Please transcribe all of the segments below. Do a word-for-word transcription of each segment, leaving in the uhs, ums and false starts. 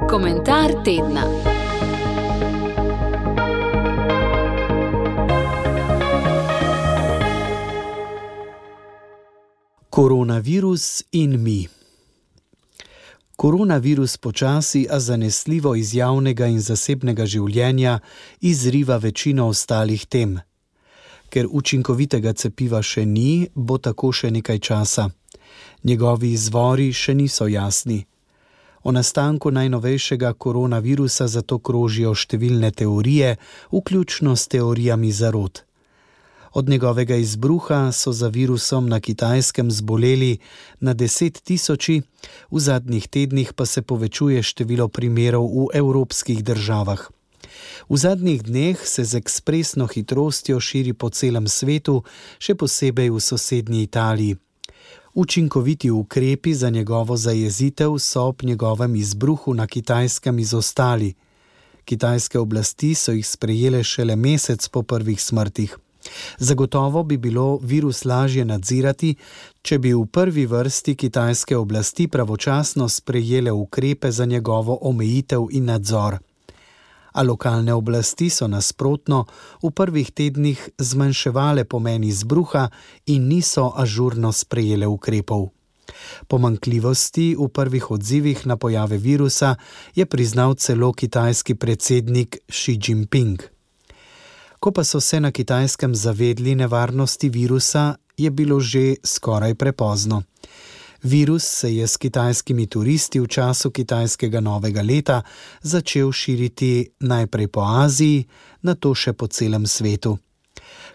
Komentar tedna. Koronavirus in mi. Koronavirus počasi, a zanesljivo iz javnega in zasebnega življenja izriva večino ostalih tem. Ker učinkovitega cepiva še ni, bo tako še nekaj časa. Njegovi izvori še niso jasni. O nastanku najnovejšega koronavirusa zato krožijo številne teorije, vključno s teorijami zarot. Od njegovega izbruha so za virusom na Kitajskem zboleli na deset tisoči, v zadnjih tednih pa se povečuje število primerov v evropskih državah. V zadnjih dneh se z ekspresno hitrostjo širi po celem svetu, še posebej v sosednji Italiji. Učinkoviti ukrepi za njegovo zajezitev so ob njegovem izbruhu na Kitajskem izostali. Kitajske oblasti so jih sprejele šele mesec po prvih smrtih. Zagotovo bi bilo virus lažje nadzirati, če bi v prvi vrsti kitajske oblasti pravočasno sprejele ukrepe za njegovo omejitev in nadzor. A lokalne oblasti so nasprotno v prvih tednih zmanjševale pomen izbruha in niso ažurno sprejele ukrepov. Pomanjkljivosti v prvih odzivih na pojave virusa je priznal celo kitajski predsednik Xi Jinping. Ko pa so se na Kitajskem zavedli nevarnosti virusa, je bilo že skoraj prepozno. Virus se je s kitajskimi turisti v času kitajskega novega leta začel širiti najprej po Aziji, nato še po celem svetu.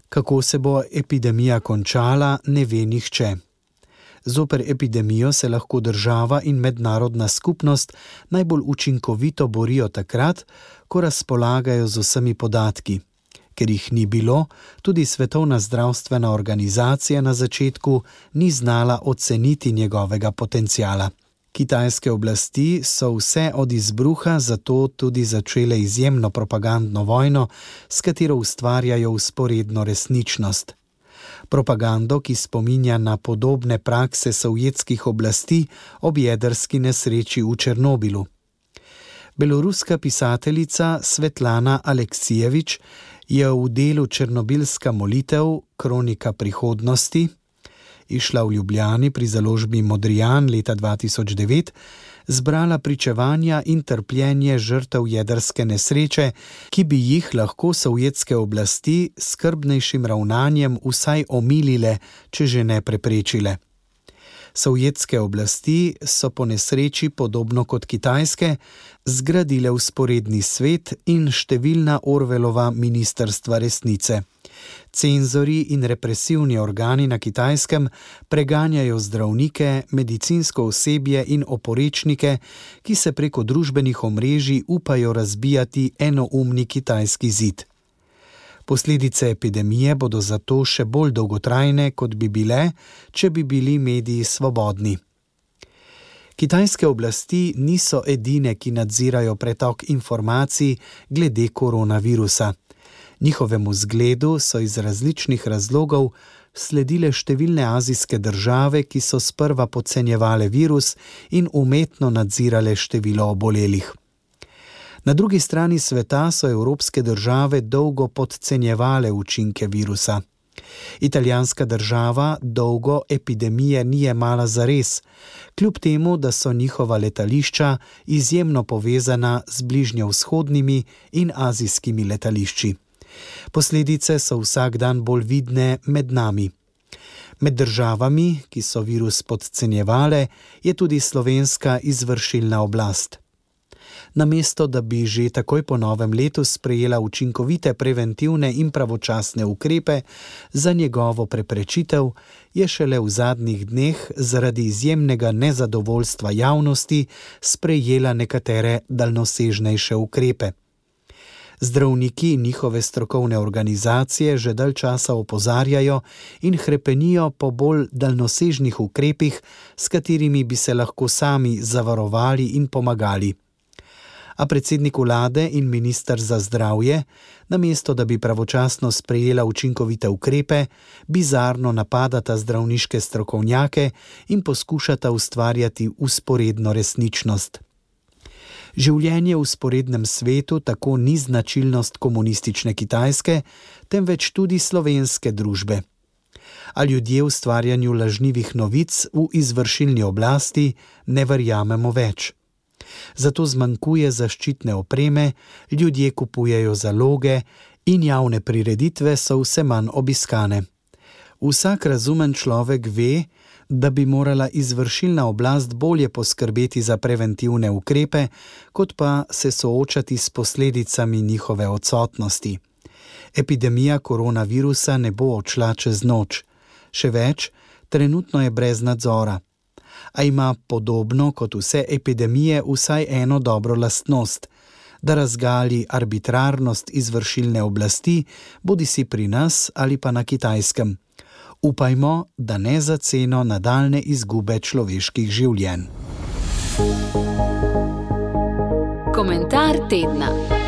Kako se bo epidemija končala, ne ve nihče. Zoper epidemijo se lahko država in mednarodna skupnost najbolj učinkovito borijo takrat, ko razpolagajo z vsemi podatki. Ker jih ni bilo, tudi Svetovna zdravstvena organizacija na začetku ni znala oceniti njegovega potenciala. Kitajske oblasti so vse od izbruha zato tudi začele izjemno propagandno vojno, s katero ustvarjajo vzporedno resničnost. Propagando, ki spominja na podobne prakse sovjetskih oblasti ob jedrski nesreči v Černobilu. Beloruska pisateljica Svetlana Aleksijevič je v delu Černobilska molitev, kronika prihodnosti, izšla v Ljubljani pri založbi Modrijan leta dva tisoč devet, zbrala pričevanja in trpljenje žrtev jedrske nesreče, ki bi jih lahko sovjetske oblasti s skrbnejšim ravnanjem vsaj omilile, če že ne preprečile. Sovjetske oblasti so po nesreči, podobno kot kitajske, zgradile vzporedni svet in številna Orwellova ministrstva resnice. Cenzori in represivni organi na Kitajskem preganjajo zdravnike, medicinsko osebje in oporečnike, ki se preko družbenih omrežij upajo razbijati enoumni kitajski zid. Posledice epidemije bodo zato še bolj dolgotrajne, kot bi bile, če bi bili mediji svobodni. Kitajske oblasti niso edine, ki nadzirajo pretok informacij glede koronavirusa. Njihovemu zgledu so iz različnih razlogov sledile številne azijske države, ki so sprva podcenjevale virus in umetno nadzirale število obolelih. Na drugi strani sveta so evropske države dolgo podcenjevale učinke virusa. Italijanska država dolgo epidemije ni jemala zares, kljub temu, da so njihova letališča izjemno povezana z bližnjevzhodnimi in azijskimi letališči. Posledice so vsak dan bolj vidne med nami. Med državami, ki so virus podcenjevale, je tudi slovenska izvršilna oblast. Namesto, da bi že takoj po novem letu sprejela učinkovite preventivne in pravočasne ukrepe za njegovo preprečitev, je šele v zadnjih dneh zaradi izjemnega nezadovoljstva javnosti sprejela nekatere daljnosežnejše ukrepe. Zdravniki in njihove strokovne organizacije že dalj časa opozarjajo in hrepenijo po bolj daljnosežnih ukrepih, s katerimi bi se lahko sami zavarovali in pomagali. A predsednik vlade in minister za zdravje, namesto da bi pravočasno sprejela učinkovite ukrepe, bizarno napadata zdravniške strokovnjake in poskušata ustvarjati vzporedno resničnost. Življenje v vzporednem svetu tako ni značilnost komunistične Kitajske, temveč tudi slovenske družbe. A ljudje ustvarjanju lažnivih novic v izvršilni oblasti ne verjamemo več. Zato zmanjkuje zaščitne opreme, ljudje kupujejo zaloge in javne prireditve so vse manj obiskane. Vsak razumen človek ve, da bi morala izvršilna oblast bolje poskrbeti za preventivne ukrepe, kot pa se soočati s posledicami njihove odsotnosti. Epidemija koronavirusa ne bo odšla čez noč. Še več, trenutno je brez nadzora. A ima podobno kot vse epidemije vsaj eno dobro lastnost, da razgali arbitrarnost izvršilne oblasti, bodisi pri nas ali pa na Kitajskem. Upajmo, da ne za ceno nadaljne izgube človeških življenj. Komentar tedna.